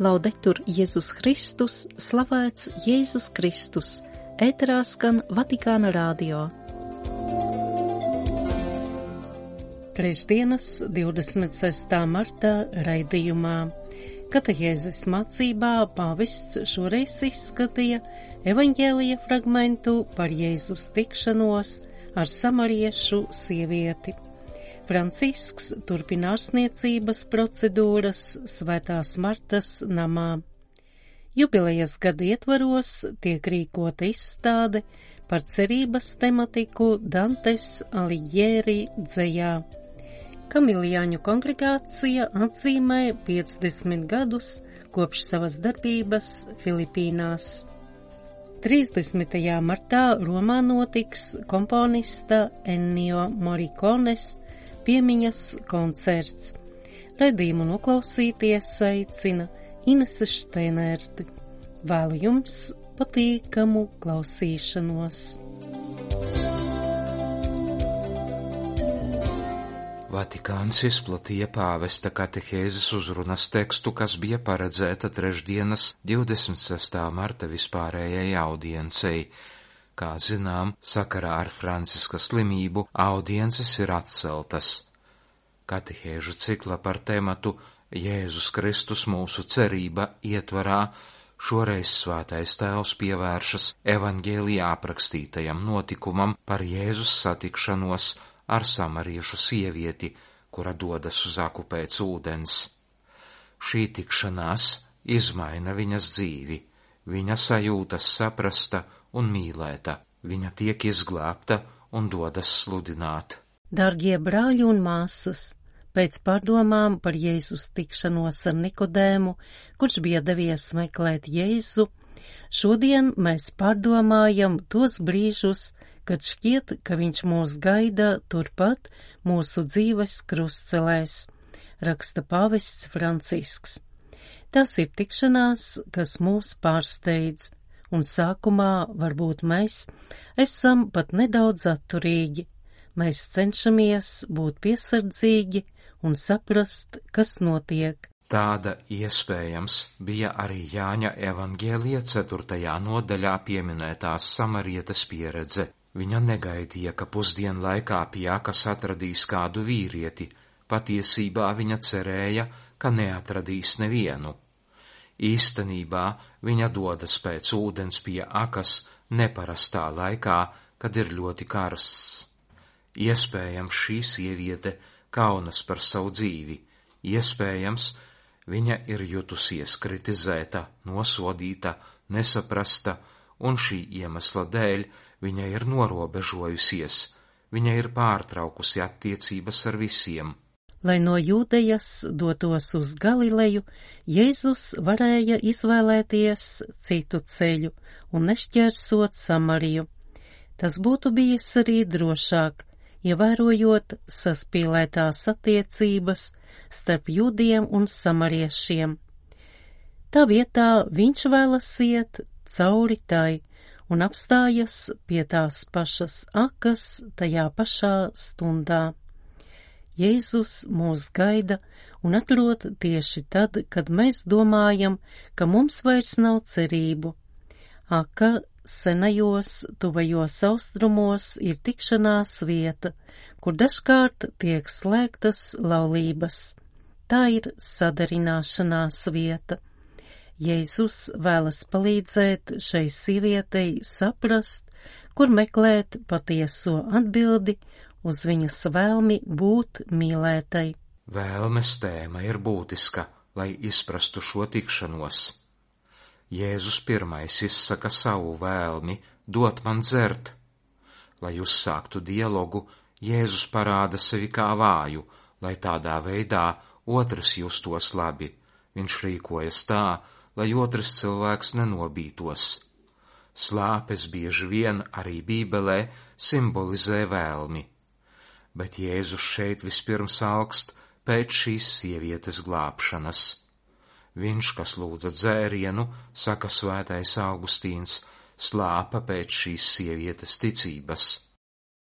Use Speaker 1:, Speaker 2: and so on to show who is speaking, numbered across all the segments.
Speaker 1: Laudetur Jēzus Kristus, slavēts Jēzus Kristus, ēterā skan Vatikāna radio. Trešdienas 26. martā raidījumā Katehēzes mācībā pāvests šoreiz izskatīja evaņģēlija fragmentu par Jēzus tikšanos ar samariešu sievieti. Francisks turpina ārstniecības procedūras Svētās Martas namā. Jubilejas gada ietvaros tiek rīkota izstāde par cerības tematiku Dantes Alighieri dzejā. Kamiljāņu kongregācija atzīmē 50 gadus kopš savas darbības Filipīnās. 30. martā Romā notiks komponista Ennio Morricones piemiņas koncerts. Raidījumu noklausīties aicina Inese Šteinerte. Vēlu jums patīkamu klausīšanos.
Speaker 2: Vatikāns izplatīja pāvesta katehēzes uzrunas tekstu, kas bija paredzēta trešdienas 26. marta vispārējai audiencei. Kā zinām, sakarā ar Franciska slimību audiences ir atceltas. Katehēžu cikla par tematu Jēzus Kristus mūsu cerība ietvarā šoreiz Svētais Tēvs pievēršas evaņģēlijā aprakstītajam notikumam par Jēzus satikšanos ar samariešu sievieti, kura dodas uz aku pēc ūdens. Šī tikšanās izmaina viņas dzīvi, viņa sajūtas saprasta un mīlēta, viņa tiek izglābta un dodas sludināt.
Speaker 1: Dargie brāļi un māsas, pēc pārdomām par Jēzus tikšanos ar Nikodēmu, kurš bija devies meklēt Jēzu, šodien mēs pārdomājam tos brīžus, kad šķiet, ka viņš mūs gaida turpat mūsu dzīves krustcelēs, raksta pāvests Francisks. Tas ir tikšanās, kas mūs pārsteidz, un sākumā varbūt mēs esam pat nedaudz atturīgi. Mēs cenšamies būt piesardzīgi un saprast, kas notiek.
Speaker 2: Tāda iespējams bija arī Jāņa evaņģēlija 4. nodaļā pieminētās samarietes pieredze. Viņa negaidīja, ka pusdienlaikā pie akas atradīs kādu vīrieti. Patiesībā viņa cerēja, ka neatradīs nevienu. Īstenībā viņa dodas pēc ūdens pie akas neparastā laikā, kad ir ļoti karsts. Iespējams, šī sieviete kaunas par savu dzīvi. Iespējams, viņa ir jutusies kritizēta, nosodīta, nesaprasta, un šī iemesla dēļ viņa ir norobežojusies. Viņa ir pārtraukusi attiecības ar visiem.
Speaker 1: Lai no Jūdejas dotos uz Galileju, Jēzus varēja izvēlēties citu ceļu un nešķērsot Samariju. Tas būtu bijis arī drošāk, ievērojot saspīlētās attiecības starp jūdiem un samariešiem. Tā vietā viņš vēlas iet cauri tai un apstājas pie tās pašas akas tajā pašā stundā. Jēzus mūs gaida un atrod tieši tad, kad mēs domājam, ka mums vairs nav cerību. Aka senajos, tuvajos austrumos ir tikšanās vieta, kur dažkārt tiek slēgtas laulības. Tā ir sadarināšanās vieta. Jēzus vēlas palīdzēt šai sievietei saprast, kur meklēt patieso atbildi uz viņas vēlmi būt mīlētai.
Speaker 2: Vēlmes tēma ir būtiska, lai izprastu šo tikšanos. Jēzus pirmais izsaka savu vēlmi dot man dzert. Lai uzsāktu dialogu, Jēzus parāda sevi kā vāju, lai tādā veidā otrs justos labi. Viņš rīkojas tā, lai otrs cilvēks nenobītos. Slāpes bieži vien arī Bībelē simbolizē vēlmi. Bet Jēzus šeit vispirms augst pēc šīs sievietes glābšanas. Viņš, kas lūdza dzērienu, saka svētais Augustīns, slāpa pēc šīs sievietes ticības.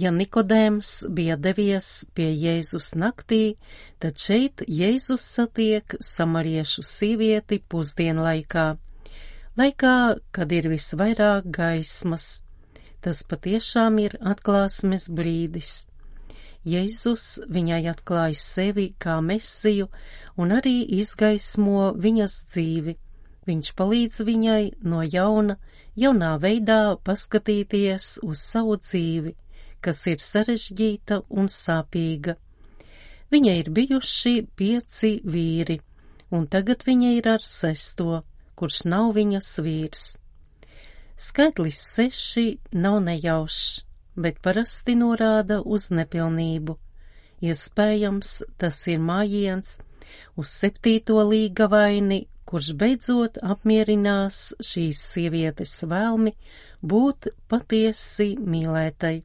Speaker 1: Ja Nikodēms bija devies pie Jēzus naktī, tad šeit Jēzus satiek samariešu sievieti pusdienlaikā, laikā, kad ir visvairāk gaismas. Tas patiešām ir atklāsmes brīdis. Jēzus viņai atklāj sevi kā mesiju un arī izgaismo viņas dzīvi. Viņš palīdz viņai no jaunā veidā paskatīties uz savu dzīvi, kas ir sarežģīta un sāpīga. Viņai ir bijuši 5 vīri, un tagad viņa ir ar 6, kurš nav viņas vīrs. Skaitlis 6 nav nejaušs, bet parasti norāda uz nepilnību. Iespējams, tas ir mājiens uz 7. līgavaini, kurš beidzot apmierinās šīs sievietes vēlmi būt patiesi mīlētai.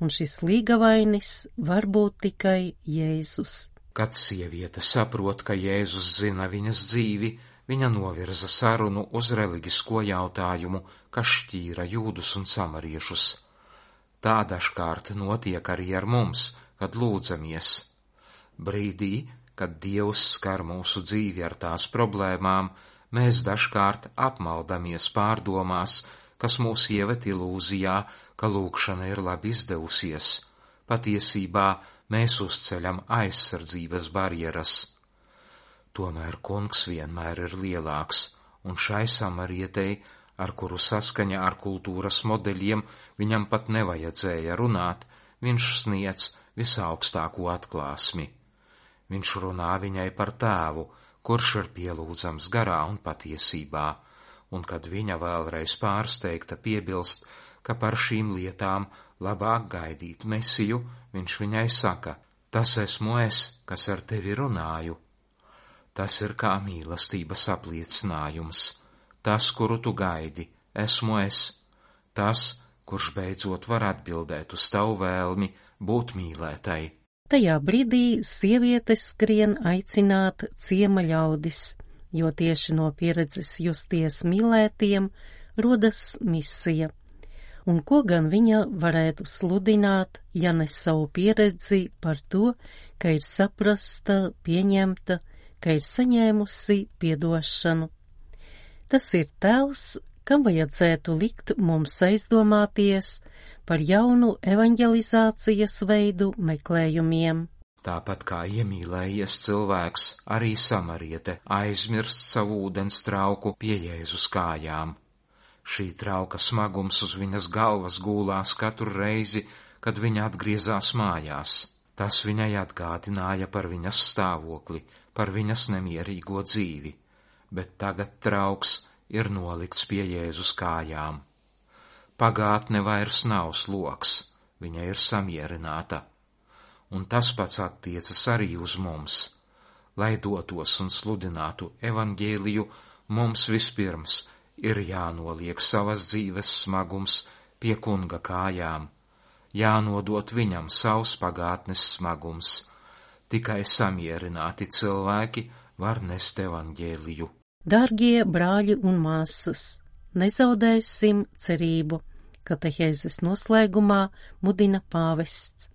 Speaker 1: Un šis līgavainis var būt tikai Jēzus.
Speaker 2: Kad sieviete saprot, ka Jēzus zina viņas dzīvi, viņa novirza sarunu uz reliģisko jautājumu, kas šķīra jūdus un samariešus. Tā dažkārt notiek arī ar mums, kad lūdzamies. Brīdī, kad Dievs skar mūsu dzīvi ar tās problēmām, mēs dažkārt apmaldamies pārdomās, kas mūs ievet ilūzijā, ka lūkšana ir labi izdevusies. Patiesībā mēs uzceļam aizsardzības barjeras. Tomēr Kungs vienmēr ir lielāks, un šai samarietei, ar kuru saskaņā ar kultūras modeļiem viņam pat nevajadzēja runāt, viņš sniedz visaugstāko atklāsmi. Viņš runā viņai par tēvu, kurš ir pielūdzams garā un patiesībā, un kad viņa vēlreiz pārsteigta piebilst, ka par šīm lietām labāk gaidīt Mesiju, viņš viņai saka: tas esmu es, kas ar tevi runāju. Tas ir kā mīlestības apliecinājums. Tas, kuru tu gaidi, esmu es. Tas, kurš beidzot var atbildēt uz tavu vēlmi būt mīlētai.
Speaker 1: Tajā brīdī sievietes skrien aicināt ciema ļaudis, jo tieši no pieredzes justies mīlētiem rodas misija. Un ko gan viņa varētu sludināt, ja ne savu pieredzi par to, ka ir saprasta, pieņemta, ka ir saņēmusi piedošanu. Tas ir tēls, kam vajadzētu likt mums aizdomāties par jaunu evanģelizācijas veidu meklējumiem.
Speaker 2: Tāpat kā iemīlējies cilvēks, arī samariete aizmirst savu ūdens trauku pie Jēzus kājām. Šī trauka smagums uz viņas galvas gūlās katru reizi, kad viņa atgriezās mājās. Tas viņai atgādināja par viņas stāvokli, par viņas nemierīgo dzīvi, bet tagad trauks ir nolikts pie Jēzus kājām. Pagātne vairs nav sloks, viņa ir samierināta. Un tas pats attiecas arī uz mums. Lai dotos un sludinātu evaņģēliju, mums vispirms ir jānoliek savas dzīves smagums pie Kunga kājām, jānodot viņam savs pagātnes smagums. Tikai samierināti cilvēki var nest evaņģēliju.
Speaker 1: Dārgie brāļi un māsas, nezaudēsim cerību, katehēzes noslēgumā mudina pāvests.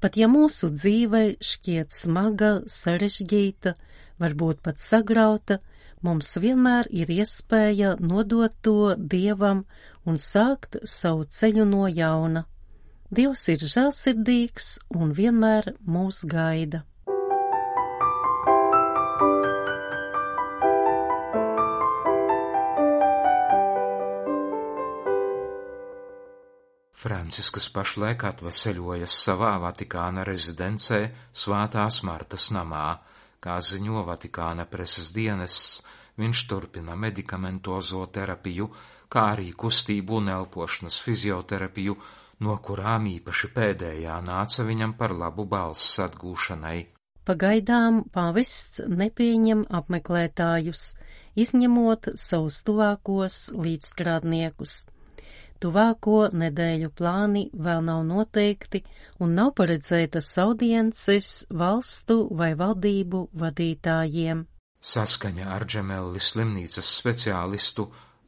Speaker 1: Pat ja mūsu dzīve šķiet smaga, sarežģīta, varbūt pat sagrauta, mums vienmēr ir iespēja nodot to Dievam un sākt savu ceļu no jauna. Dievs ir žēlsirdīgs un vienmēr mūs gaida.
Speaker 2: Francisks pašlaik atveseļojas savā Vatikāna rezidencē Svētās Martas namā. Kā ziņo Vatikāna preses dienests, viņš turpina medikamentozo terapiju, kā arī kustību un elpošanas fizioterapiju, no kurām īpaši pēdējā nāca viņam par labu balss atgūšanai.
Speaker 1: Pagaidām pāvests nepieņem apmeklētājus, izņemot savus tuvākos līdzstrādniekus. Tuvāko nedēļu plāni vēl nav noteikti un nav paredzētas audiences valstu vai valdību vadītājiem.
Speaker 2: Saskaņā ar Džemelli slimnīcas speciālistu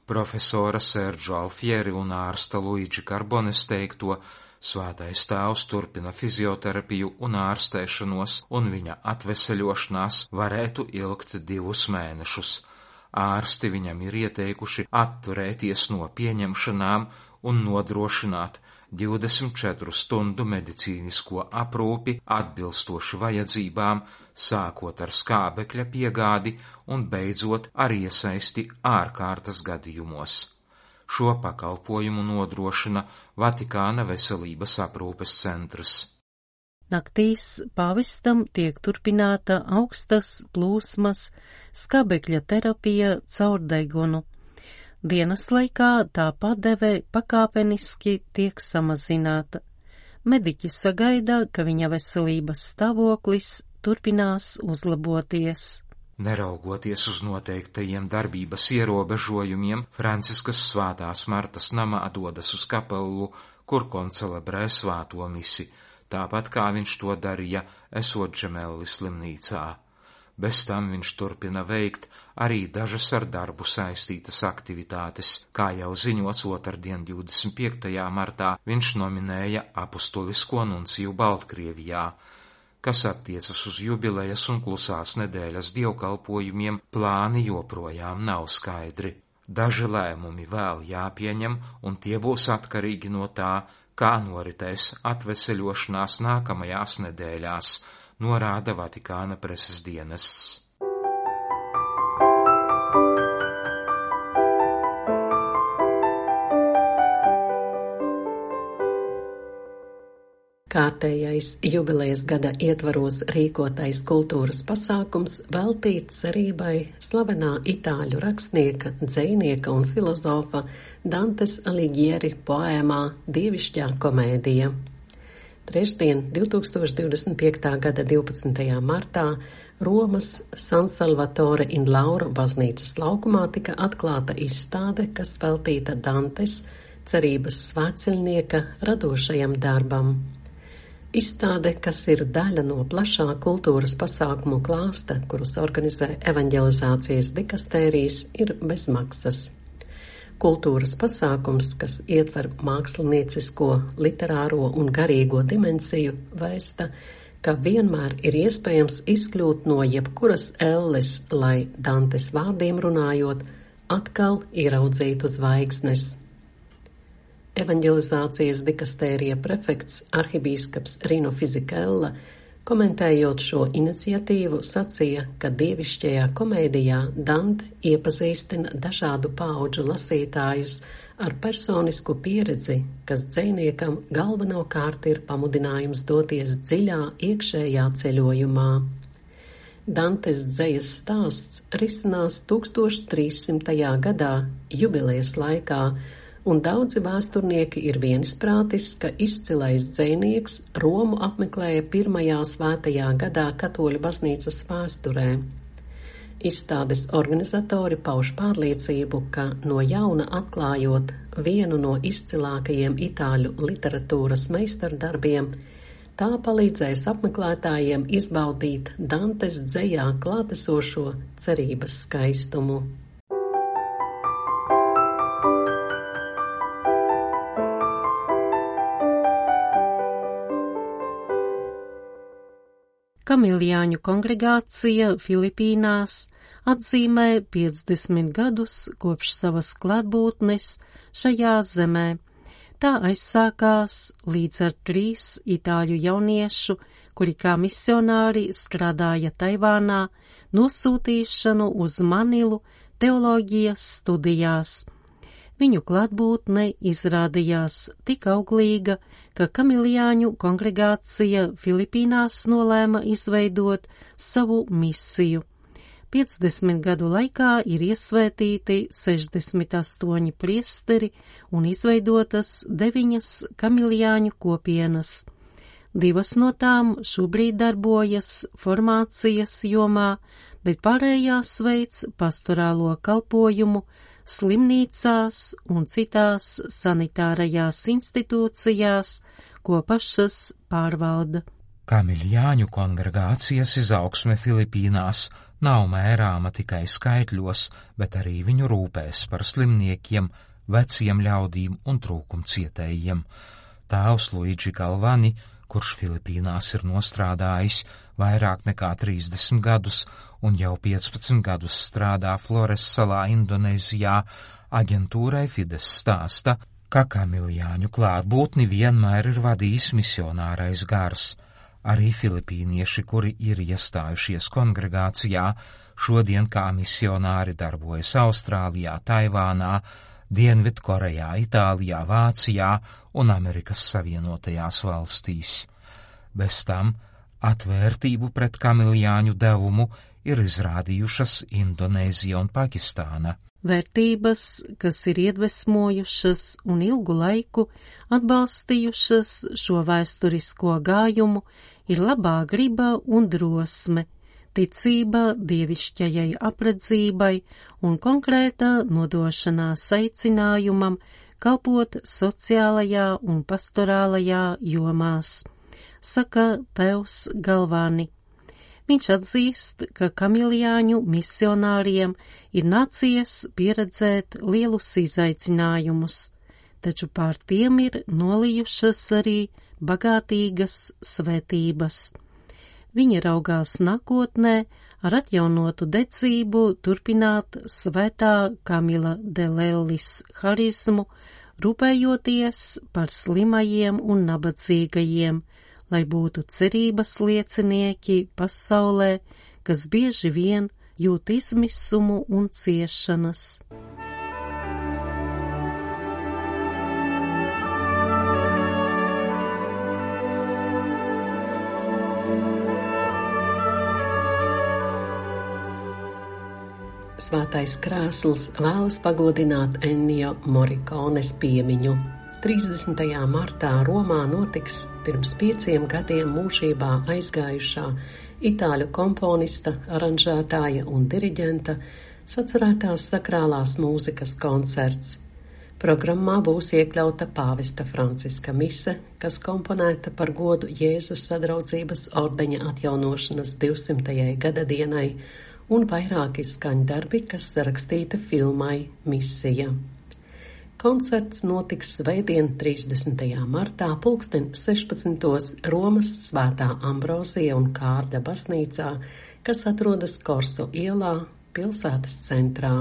Speaker 2: profesora Sergio Alfieri un ārsta Luigi Carbones teikto, Svētais tēvs turpina fizioterapiju un ārstēšanos, un viņa atveseļošanās varētu ilgt 2 mēnešus. Ārsti viņam ir ieteikuši atturēties no pieņemšanām un nodrošināt 24 stundu medicīnisko aprūpi atbilstoši vajadzībām, sākot ar skābekļa piegādi un beidzot ar iesaisti ārkārtas gadījumos. Šo pakalpojumu nodrošina Vatikāna veselības aprūpes centrs.
Speaker 1: Naktīs pāvestam tiek turpināta augstas plūsmas skābekļa terapija caur degunu. Dienas laikā tā padeve pakāpeniski tiek samazināta. Mediķi sagaida, ka viņa veselības stāvoklis turpinās uzlaboties.
Speaker 2: Neraugoties uz noteiktajiem darbības ierobežojumiem, Franciskas Svētās Martas namā dodas uz kapelu, kur koncelebrē svēto misi, tāpat kā viņš to darīja, esot Džemelli slimnīcā. Bez tam viņš turpina veikt arī dažas ar darbu saistītas aktivitātes, kā jau ziņots otrdien 25. martā viņš nominēja apustulisko nunciju Baltkrievijā. Kas attiecas uz jubilejas un klusās nedēļas dievkalpojumiem, plāni joprojām nav skaidri. Daži lēmumi vēl jāpieņem, un tie būs atkarīgi no tā, kā noritēs atveseļošanās nākamajās nedēļās, norāda Vatikāna preses dienests.
Speaker 3: Kārtējais jubilejas gada ietvaros rīkotais kultūras pasākums veltīts cerībai slavenā itāļu rakstnieka, dzejnieka un filozofa Dantes Alighieri poēmā Dievišķā komēdija. Trešdien, 2025. gada 12. martā, Romas San Salvatore in Laura baznīcas laukumā tika atklāta izstāde, kas veltīta Dantes, cerības svētceļnieka radošajam darbam. Izstāde, kas ir daļa no plašā kultūras pasākumu klāsta, kurus organizē evaņģelizācijas dikastērijas, ir bezmaksas. Kultūras pasākums, kas ietver māksliniecisko, literāro un garīgo dimensiju, vēsta, ka vienmēr ir iespējams izkļūt no jebkuras elles, lai Dantes vārdiem runājot, atkal ieraudzītu zvaigznes. Evaņģelizācijas dikastērija prefekts arhibīskaps Rino Fizikella, komentējot šo iniciatīvu, sacīja, ka dievišķajā komēdijā Dante iepazīstina dažādu paudžu lasītājus ar personisku pieredzi, kas dzejniekam galvenokārt ir pamudinājums doties dziļā iekšējā ceļojumā. Dantes dzejas stāsts risinās 1300. gadā, jubilejas laikā, un daudzi vēsturnieki ir viensprātis, ka izcilais dzejnieks Romu apmeklēja pirmajā svētajā gadā katoļu baznīcas vēsturē. Izstādes organizatori pauž pārliecību, ka no jauna atklājot vienu no izcilākajiem itāļu literatūras meistardarbiem, tā palīdzēs apmeklētājiem izbaudīt Dantes dzejā klātesošo cerības skaistumu.
Speaker 1: Kamiljāņu kongregācija Filipīnās atzīmē 50 gadus kopš savas klātbūtnes šajā zemē. Tā aizsākās līdz ar 3 itāļu jauniešu, kuri kā misionāri strādāja Taivānā, nosūtīšanu uz Manilu teoloģijas studijās. Viņu klātbūtne izrādījās tik auglīga, ka Kamiljāņu kongregācija Filipīnās nolēma izveidot savu misiju. 50 gadu laikā ir iesvētīti 68 priesteri un izveidotas 9 Kamiljāņu kopienas. 2 no tām šobrīd darbojas formācijas jomā, bet pārējās veids pastorālo kalpojumu slimnīcās un citās sanitārajās institūcijās, ko pašas pārvalda.
Speaker 2: Kamiljāņu kongregācijas izaugsme Filipīnās nav mērāma tikai skaitļos, bet arī viņu rūpēs par slimniekiem, veciem ļaudīm un trūkumcietējiem. Tēvs Luigi Galvani, kurš Filipīnās ir nostrādājis vairāk nekā 30 gadus un jau 15 gadus strādā Flores salā Indonēzijā, aģentūrai Fides stāsta, ka kamiljāņu klātbūtni vienmēr ir vadījis misionārais gars. Arī filipīnieši, kuri ir iestājušies kongregācijā, šodien kā misionāri darbojas Austrālijā, Taivānā, Dienvidkorejā, Itālijā, Vācijā un Amerikas Savienotajās valstīs. Bez tam atvērtību pret kamiljāņu devumu ir izrādījušas Indonēzija un Pakistāna.
Speaker 1: Vērtības, kas ir iedvesmojušas un ilgu laiku atbalstījušas šo vēsturisko gājumu, ir labā griba un drosme, ticība dievišķajai apredzībai un konkrēta nodošanās aicinājumam kalpot sociālajā un pastorālajā jomās, saka tēvs Galvani. Viņš atzīst, ka kamiljāņu misionāriem ir nācies pieredzēt lielus izaicinājumus, taču pār tiem ir nolijušas arī bagātīgas svētības. Viņi raugās nākotnē ar atjaunotu dedzību turpināt svētā Kamila de Lellis harizmu, rūpējoties par slimajiem un nabadzīgajiem, lai būtu cerības liecinieki pasaulē, kas bieži vien jūt izmisumu un ciešanas.
Speaker 3: Svētais krēsls vēlas pagodināt Ennio Morricones piemiņu. 30. martā Romā notiks pirms 5 gadiem mūžībā aizgājušā itāļu komponista, aranžētāja un diriģenta sacerētās sakrālās mūzikas koncerts. Programmā būs iekļauta pāvesta Franciska mise, kas komponēta par godu Jēzus sadraudzības ordeņa atjaunošanas 200. gada dienai, un vairāki skaņdarbi, kas sarakstīti filmai Misija. Koncerts notiks svētdien 30. martā 16:00 Romas Svētā Ambrozija un Kārļa baznīcā, kas atrodas Korso ielā, pilsētas centrā.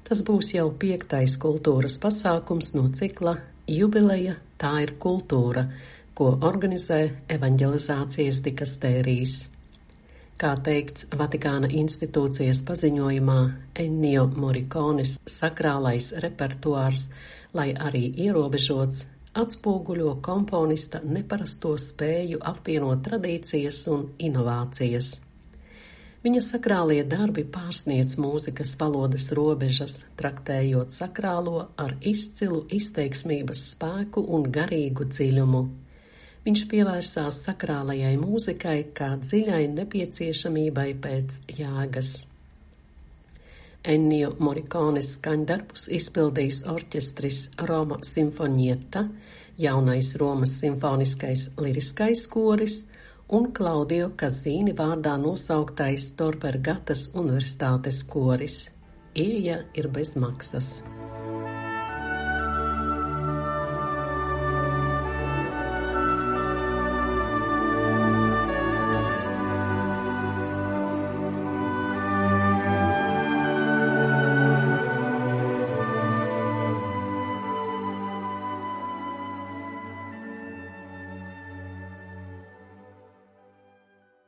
Speaker 3: Tas būs jau 5. kultūras pasākums no cikla Jubileja – tā ir kultūra, ko organizē evaņģelizācijas dikastērijas. Kā teikts Vatikāna institūcijas paziņojumā, Ennio Morricones sakrālais repertuārs, lai arī ierobežots, atspoguļo komponista neparasto spēju apvienot tradīcijas un inovācijas. Viņa sakrālie darbi pārsniedz mūzikas valodas robežas, traktējot sakrālo ar izcilu izteiksmības spēku un garīgu dziļumu. Viņš pievērsās sakrālajai mūzikai kā dziļai nepieciešamībai pēc jēgas. Ennio Morricones skaņdarbus izpildīs orķestris Roma Sinfonietta, jaunais Romas simfoniskais liriskais koris un Klaudio Kazīni vārdā nosauktais Tor Vergatas universitātes koris. Ieeja ir bez maksas.